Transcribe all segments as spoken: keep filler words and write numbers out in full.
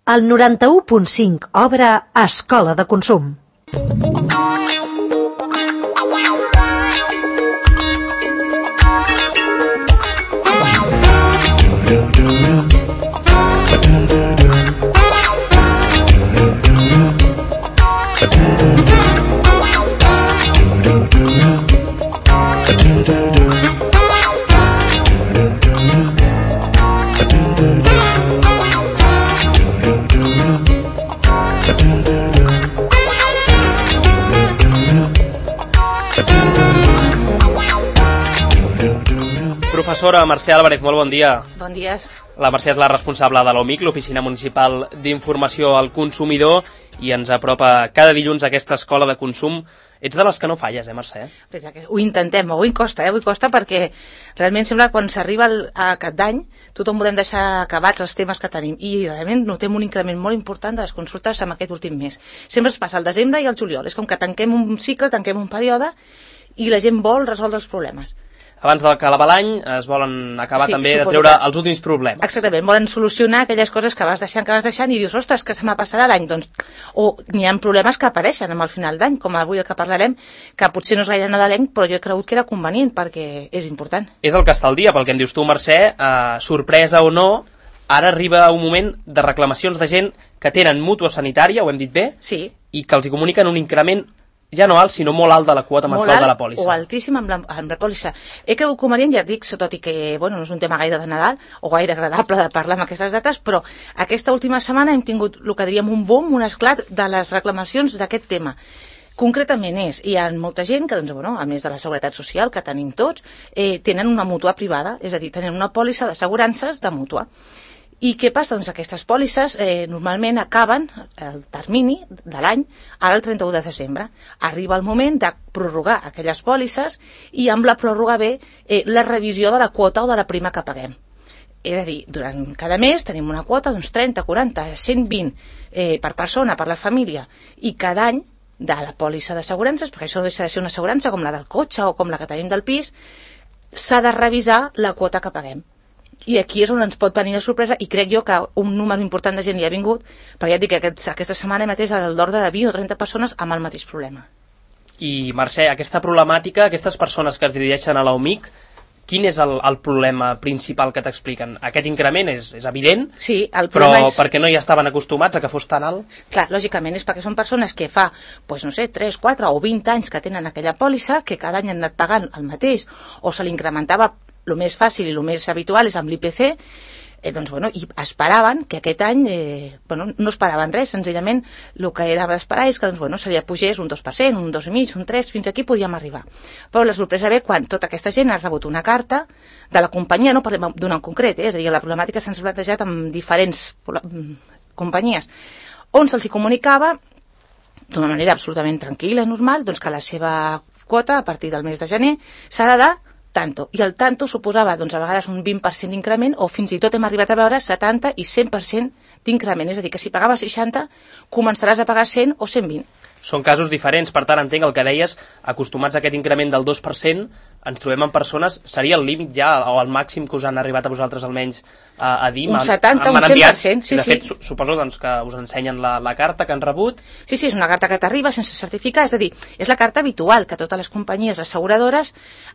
El noranta-u punt cinc obre Escola de Consum. Professora Mercè Álvarez, molt bon dia. Bon dia. La Mercè és la responsable de l'O M I C, l'Oficina Municipal d'Informació al Consumidor, i ens apropa cada dilluns a aquesta escola de consum. Ets de les que no falles, eh, Mercè? Ho intentem, avui costa, eh? Avui costa perquè realment sembla que quan s'arriba a cap d'any tothom volem deixar acabats els temes que tenim i realment notem un increment molt important de les consultes en aquest últim mes. Sempre es passa al desembre i al juliol, és com que tanquem un cicle, tanquem un període i la gent vol resoldre els problemes. Abans de acabar l'any es volen acabar sí, també de treure que... els últims problemes. Exactament, volen solucionar aquelles coses que vas deixant, que vas deixant i dius, ostres, que se me passarà l'any. Doncs, o n'hi ha problemes que apareixen amb el final d'any, com avui el que parlarem, que potser no és gaire nadalenc, però jo he cregut que era convenient perquè és important. És el que està al dia, pel que em dius tu, Mercè, eh, sorpresa o no, ara arriba un moment de reclamacions de gent que tenen mútua sanitària, ho hem dit bé, sí. I que els comuniquen un increment ja no alt, sinó molt alt de la quota mensual de la pòlissa. O altíssim amb la, amb la pòlissa. He cregut convenient, ja et dic, tot i que bueno, no és un tema gaire de Nadal o gaire agradable de parlar amb aquestes dates, però aquesta última setmana hem tingut el que diríem un boom, un esclat de les reclamacions d'aquest tema. Concretament és, hi ha molta gent que, doncs, bueno, a més de la seguretat social que tenim tots, eh, tenen una mútua privada, és a dir, tenen una pòlissa d'assegurances de mútua. I què passa? Doncs aquestes pòlisses eh, normalment acaben el termini de l'any ara el trenta-u de desembre. Arriba el moment de prorrogar aquelles pòlisses i amb la pròrroga ve eh, la revisió de la quota o de la prima que paguem. És a dir, durant cada mes tenim una quota d'uns trenta, quaranta, cent vint eh, per persona, per la família, i cada any de la pòlissa d'assegurances, perquè això no deixa de ser una assegurança com la del cotxe o com la que tenim del pis, s'ha de revisar la quota que paguem. I aquí és on ens pot venir la sorpresa i crec jo que un número important de gent hi ha vingut, perquè ja et dic que aquest, aquesta setmana mateix és l'ordre de vint o trenta persones amb el mateix problema. I Mercè, aquesta problemàtica, aquestes persones que es dirigeixen a l'O M I C, quin és el, el problema principal que t'expliquen? Aquest increment és, és evident, sí, el però és... perquè no hi estaven acostumats a que fos tan alt? Clar, lògicament és perquè són persones que fa, doncs no sé, tres, quatre o vint anys que tenen aquella pòlissa, que cada any han anat pagant el mateix, o se l'incrementava. El més fàcil i el més habitual és amb l'I P C, eh, doncs, bueno, i esperaven que aquest any, eh, bueno, no esperaven res, senzillament el que era d'esperar és que doncs, bueno, se li pugés un dos per cent, un dos coma cinc, un tres, fins aquí podíem arribar. Però la sorpresa ve quan tota aquesta gent ha rebut una carta de la companyia, no parlem d'una en concret, eh, és a dir, la problemàtica s'ha plantejat amb diferents companyies, on se'ls comunicava d'una manera absolutament tranquil·la i normal doncs, que la seva quota a partir del mes de gener serà de tanto, i el tanto suposava doncs, a vegades un vint per cent d'increment o fins i tot hem arribat a veure setanta i cent per cent d'increment, és a dir, que si pagaves seixanta començaràs a pagar cent o cent vint. Són casos diferents, per tant entenc el que deies, acostumats a aquest increment del dos per cent, ens trobem amb persones, seria el límit ja, o el màxim que us han arribat a vosaltres almenys a, a dir? Un setanta, un cent per cent, sí, de sí. fet, su suposo doncs, que us ensenyen la, la carta que han rebut. Sí, sí, és una carta que t'arriba sense certificar, és a dir, és la carta habitual que totes les companyies asseguradores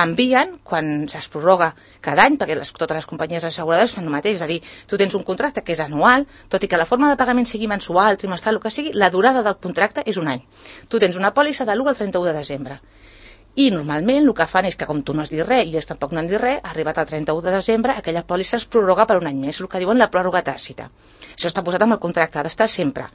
envien quan es prorroga cada any, perquè les, totes les companyies asseguradores fan el mateix, és a dir, tu tens un contracte que és anual, tot i que la forma de pagament sigui mensual, trimestral, el que sigui, la durada del contracte és un any. Tu tens una pòlissa de l'u al trenta-u de desembre. I normalment el que fan és que com tu no has dit res i ells tampoc no han dit res, arribat al trenta-u de desembre aquella pòlissa es prorroga per un any més, el que diuen la pròrroga tàcita. Això està posat amb el contracte, ha d'estar sempre.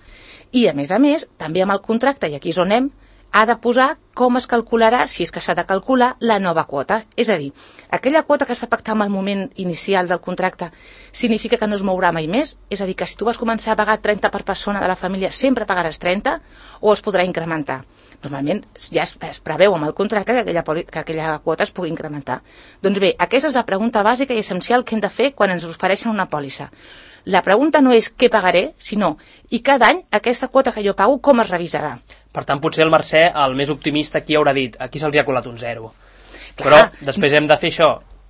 I a més a més, també amb el contracte, i aquí és on anem, ha de posar com es calcularà, si és que s'ha de calcular, la nova quota. És a dir, aquella quota que es va pactar en el moment inicial del contracte significa que no es mourà mai més? És a dir, que si tu vas començar a pagar trenta per persona de la família, sempre pagaràs trenta o es podrà incrementar? Normalment ja es, es preveu amb el contracte que aquella, que aquella quota es pugui incrementar. Doncs bé, aquesta és la pregunta bàsica i essencial que hem de fer quan ens ofereixen una pòlissa. La pregunta no és què pagaré, sinó i cada any aquesta quota que jo pago com es revisarà. Per tant, potser el Mercè, el més optimista, aquí haurà dit aquí se'ls ha colat un zero. Clar. Però després hem de fer això,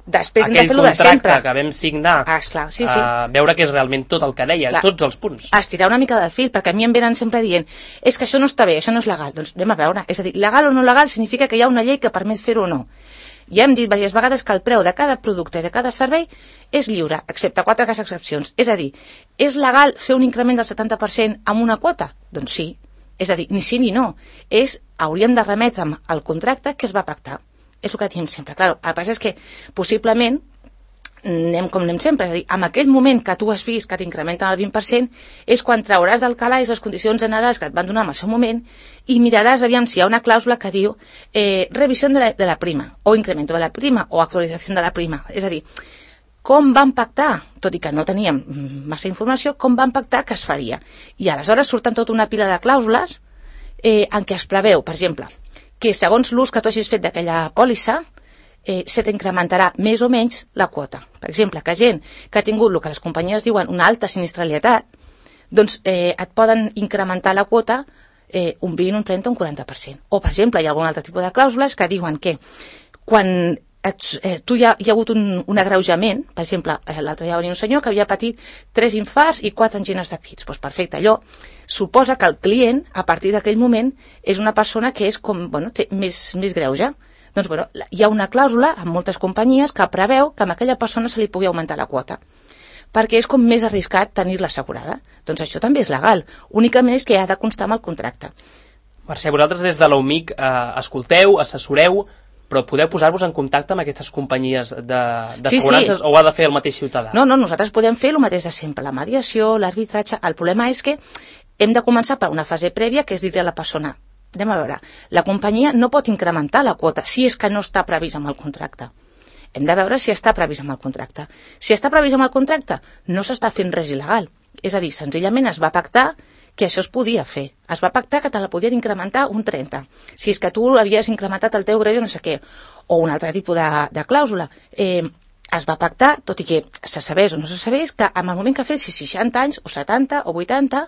Després hem de aquell fer-lo de sempre. contracte que vam signar, ah, esclar, sí, sí. Uh, veure que és realment tot el que deia, clar, tots els punts. Estirar una mica del fil, perquè a mi em venen sempre dient és que això no està bé, això no és legal. Doncs anem a veure, és a dir, legal o no legal significa que hi ha una llei que permet fer-ho o no. Ja hem dit diverses vegades que el preu de cada producte i de cada servei és lliure, excepte quatre cas excepcions. És a dir, és legal fer un increment del setanta per cent amb una quota? Doncs sí. És a dir, ni sí ni no. És, hauríem de remetre al contracte que es va pactar. És el que diem sempre. Claro, el que passa és que possiblement anem com anem sempre, és a dir, en aquell moment que tu has vist que t'incrementen el vint per cent és quan trauràs del calaix les condicions generals que et van donar en el seu moment i miraràs aviam si hi ha una clàusula que diu eh, revisió de la, de la prima o incremento de la prima o actualització de la prima, és a dir, com van pactar, tot i que no teníem massa informació, com van pactar que es faria. I aleshores surten tota una pila de clàusules eh, en què es preveu, per exemple, que segons l'ús que tu hagis fet d'aquella pòlissa Eh, se t'incrementarà més o menys la quota. Per exemple, que gent que ha tingut el que les companyies diuen una alta sinistralitat, doncs eh, et poden incrementar la quota eh, un vint, un trenta, un quaranta per cent. O, per exemple, hi ha algun altre tipus de clàusules que diuen que quan et, eh, tu hi ha, hi ha hagut un, un agreujament, per exemple, eh, l'altre dia va venir un senyor que havia patit tres infarts i quatre angines de pits. Doncs perfecte, allò suposa que el client, a partir d'aquell moment, és una persona que és com, bueno, té més, més greuge. Doncs, bueno, hi ha una clàusula en moltes companyies que preveu que a aquella persona se li pugui augmentar la quota, perquè és com més arriscat tenir-la assegurada. Doncs això també és legal, únicament és que ha de constar amb el contracte. Mercè, vosaltres des de l'U M I C eh, escolteu, assessoreu, però podeu posar-vos en contacte amb aquestes companyies d'assegurances sí, sí. O ho ha de fer el mateix ciutadà? No, no, nosaltres podem fer el mateix de sempre, la mediació, l'arbitratge. El problema és que hem de començar per una fase prèvia, que és dir-li a la persona anem a veure, la companyia no pot incrementar la quota si és que no està previst amb el contracte. Hem de veure si està previst amb el contracte. Si està previst amb el contracte, no s'està fent res il·legal. És a dir, senzillament es va pactar que això es podia fer. Es va pactar que te la podien incrementar un trenta. Si és que tu havies incrementat el teu greuge no sé què. O un altre tipus de, de clàusula. Eh, es va pactar, tot i que se sabés o no se sabés, que en el moment que fessis seixanta anys, o setanta, o vuitanta,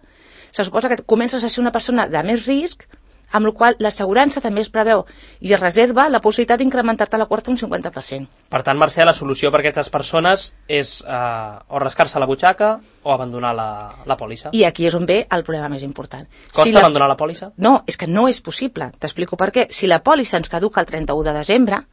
se suposa que comences a ser una persona de més risc, amb la qual l'assegurança també es preveu i es reserva la possibilitat d'incrementar-te la quota un cinquanta per cent. Per tant, Mercè, la solució per a aquestes persones és eh, o rascar-se la butxaca o abandonar la, la pòlissa. I aquí és on ve el problema més important. Costa si la... abandonar la pòlissa? No, és que no és possible. T'explico per què. Si la pòlissa ens caduca el trenta-u de desembre,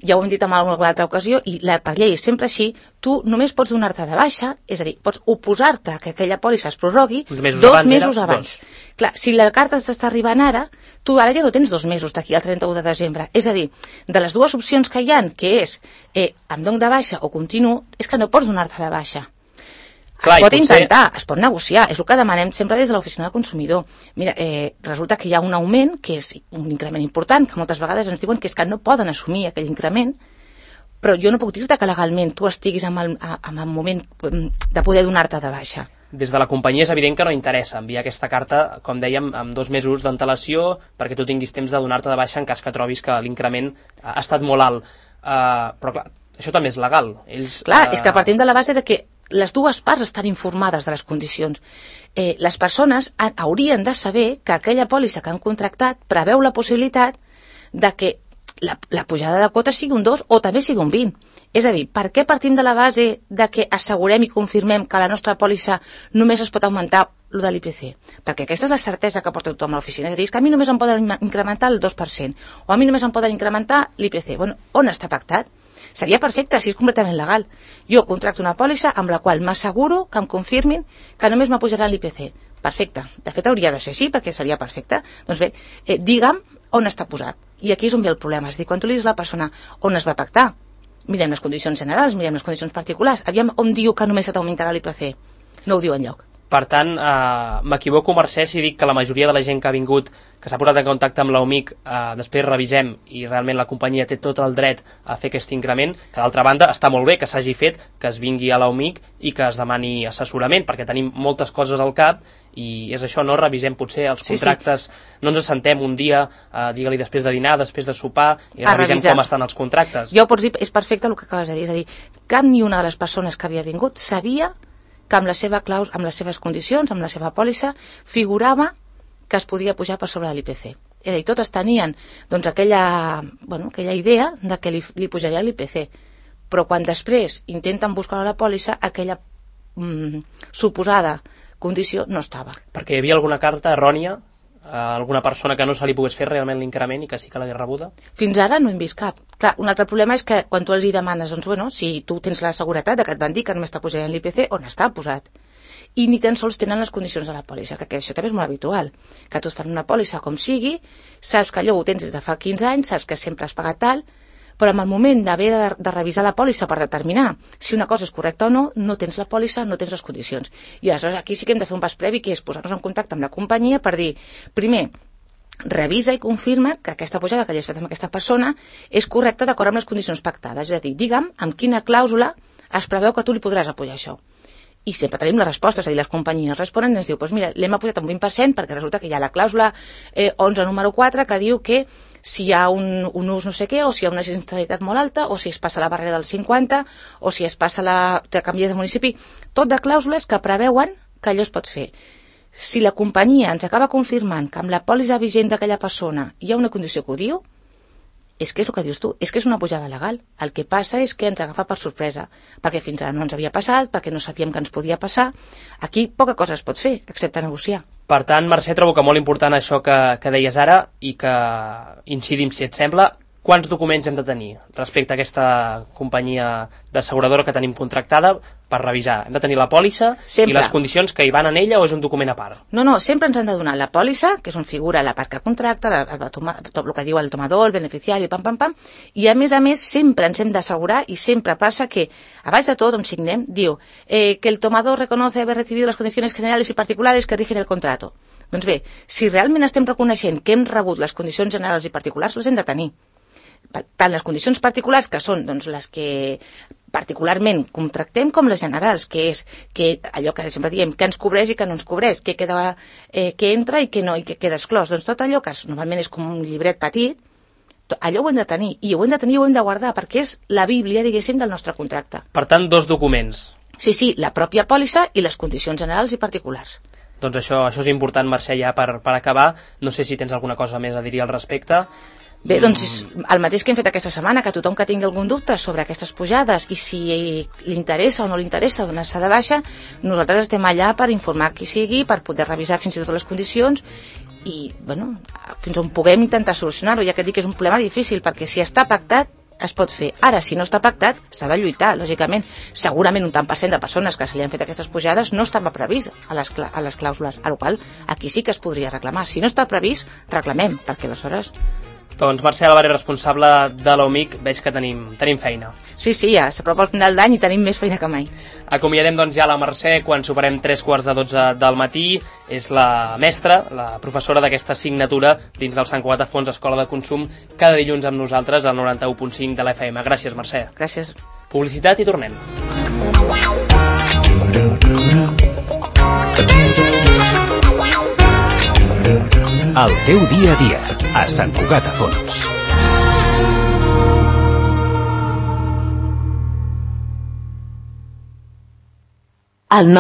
ja ho hem dit en alguna altra ocasió, i la, per llei és sempre així, tu només pots donar-te de baixa, és a dir, pots oposar-te a que aquella pòlissa es prorrogui mesos dos abans mesos abans. Dos. Clar, si la carta t'està arribant ara, tu ara ja no tens dos mesos d'aquí al trenta-u de desembre. És a dir, de les dues opcions que hi ha, que és eh, em dono de baixa o continuo, és que no pots donar-te de baixa. Clar, es pot potser... intentar, es pot negociar, és el que demanem sempre des de l'oficina del consumidor. Mira, eh, resulta que hi ha un augment, que és un increment important, que moltes vegades ens diuen que és que no poden assumir aquell increment, però jo no puc dir-te que legalment tu estiguis en el, en el moment de poder donar-te de baixa. Des de la companyia és evident que no interessa enviar aquesta carta, com dèiem, amb dos mesos d'antelació, perquè tu tinguis temps de donar-te de baixa en cas que trobis que l'increment ha estat molt alt. Uh, però clar, això també és legal. Ells, clar, uh... és que partim de la base de que les dues parts estan informades de les condicions. Eh, les persones ha, haurien de saber que aquella pòlissa que han contractat preveu la possibilitat de que la, la pujada de quota sigui un dos o també sigui un vint. És a dir, per què partim de la base de que assegurem i confirmem que la nostra pòlissa només es pot augmentar el de l'I P C? Perquè aquesta és la certesa que porta tothom a l'oficina. És a dir, és que a mi només em poden incrementar el dos per cent o a mi només em poden incrementar l'I P C. Bueno, on està pactat? Seria perfecte si és completament legal. Jo contracto una pòlissa amb la qual m'asseguro que em confirmin que només m'apujarà l'I P C. Perfecte. De fet, hauria de ser així perquè seria perfecte. Doncs bé, eh, digue'm on està posat. I aquí és on ve el problema. És dir, quan tu li dius a la persona on es va pactar, mirem les condicions generals, mirem les condicions particulars, aviam on diu que només t'augmentarà l'I P C. No ho diu enlloc. Per tant, eh, m'equivoco, Mercè, si dic que la majoria de la gent que ha vingut, que s'ha posat en contacte amb l'U M I C, eh, després revisem i realment la companyia té tot el dret a fer aquest increment, que d'altra banda està molt bé que s'hagi fet, que es vingui a l'U M I C i que es demani assessorament, perquè tenim moltes coses al cap i és això, no? Revisem potser els contractes, sí, sí. No ens assentem un dia, eh, digue-li després de dinar, després de sopar, i a revisem revisar. Com estan els contractes. Ja ho pots dir, és perfecte el que acabes de dir, és a dir, cap ni una de les persones que havia vingut sabia que amb, la seva claus, amb les seves condicions, amb la seva pòlissa, figurava que es podia pujar per sobre de l'I P C. És a dir, totes tenien doncs, aquella, bueno, aquella idea de que li, li pujaria l'I P C. però quan després intenten buscar a la pòlissa, aquella mm, suposada condició no estava. Perquè hi havia alguna carta errònia a alguna persona que no se li pogués fer realment l'increment i que sí que l'hagués rebuda? Fins ara no hem vist cap. Clar, un altre problema és que quan tu els hi demanes, doncs, bueno, si tu tens la seguretat de que et van dir que només està posat en l'I P C, on està posat? I ni tan sols tenen les condicions de la pòlissa, que això també és molt habitual, que tu et fan una pòlissa com sigui, saps que allò ho tens des de fa quinze anys, saps que sempre has pagat tal, però en el moment d'haver de, de revisar la pòlissa per determinar si una cosa és correcta o no, no tens la pòlissa, no tens les condicions. I aleshores aquí sí que hem de fer un pas previ, que és posar-nos en contacte amb la companyia per dir, primer, revisa i confirma que aquesta pujada que li has fet amb aquesta persona és correcta d'acord amb les condicions pactades. És a dir, digue'm amb quina clàusula es preveu que tu li podràs apujar això. I sempre tenim la resposta, és a dir, les companyies responen i ens diu, doncs mira, l'hem apujat un vint per cent perquè resulta que hi ha la clàusula eh, onze número quatre que diu que si hi ha un, un ús no sé què, o si hi ha una sinistralitat molt alta, o si es passa la barrera del cinquanta, o si es passa la... que canvies de municipi, tot de clàusules que preveuen que allò es pot fer. Si la companyia ens acaba confirmant que amb la pòlissa vigent d'aquella persona hi ha una condició que ho diu, és que és el que dius tu, és que és una pujada legal. El que passa és que ens agafa per sorpresa, perquè fins ara no ens havia passat, perquè no sabíem que ens podia passar. Aquí poca cosa es pot fer, excepte negociar. Per tant, Mercè, trobo que molt important això que, que deies ara i que incidim, si et sembla, quants documents hem de tenir respecte a aquesta companyia d'asseguradora que tenim contractada per revisar? Hem de tenir la pòlissa sempre. I les condicions que hi van en ella o és un document a part? No, no, sempre ens han de donar la pòlissa, que és on figura la part que contracta, la, la, toma, tot el que diu el tomador, el beneficiari, pam, pam, pam, i a més a més sempre ens hem d'assegurar i sempre passa que, a baix de tot, on signem, diu eh, que el tomador reconoce haver recibido las condiciones generales y particulares que rigen el contrato. Doncs bé, si realment estem reconeixent que hem rebut les condicions generals i particulars, les hem de tenir. Tant les condicions particulars, que són doncs, les que particularment contractem, com les generals, que és que allò que sempre diem, que ens cobreix i que no ens cobreix, que, queda, eh, que entra i que no, i que queda exclòs. Doncs tot allò que normalment és com un llibret petit, allò ho hem de tenir, i ho hem de tenir i ho hem de guardar, perquè és la bíblia, diguéssim, del nostre contracte. Per tant, dos documents. Sí, sí, la pròpia pòlissa i les condicions generals i particulars. Doncs això, això és important, Mercè, ja per, per acabar. No sé si tens alguna cosa més a dir al respecte. Bé, doncs el mateix que hem fet aquesta setmana, que tothom que tingui algun dubte sobre aquestes pujades i si li interessa o no li interessa donar-se de baixa, nosaltres estem allà per informar qui sigui, per poder revisar fins i tot les condicions i, bueno, fins on puguem intentar solucionar-ho, ja que dic que és un problema difícil, perquè si està pactat es pot fer. Ara, si no està pactat, s'ha de lluitar, lògicament. Segurament un tant per cent de persones que se li han fet aquestes pujades no estava previst a les, a les clàusules, a la qual aquí sí que es podria reclamar. Si no està previst, reclamem, perquè aleshores... Doncs Mercè Álvarez, responsable de l'O M I C, veig que tenim, tenim feina. Sí, sí, ja s'apropa el final d'any i tenim més feina que mai. Acomiadem doncs ja la Mercè quan superem tres quarts de dotze del matí. És la mestra, la professora d'aquesta assignatura dins del Sant Cugat a Fons Escola de Consum, cada dilluns amb nosaltres al noranta-u punt cinc de l'F M. Gràcies, Mercè. Gràcies. Publicitat i tornem. El teu dia a dia, a Sant Cugat a Fons. El nostre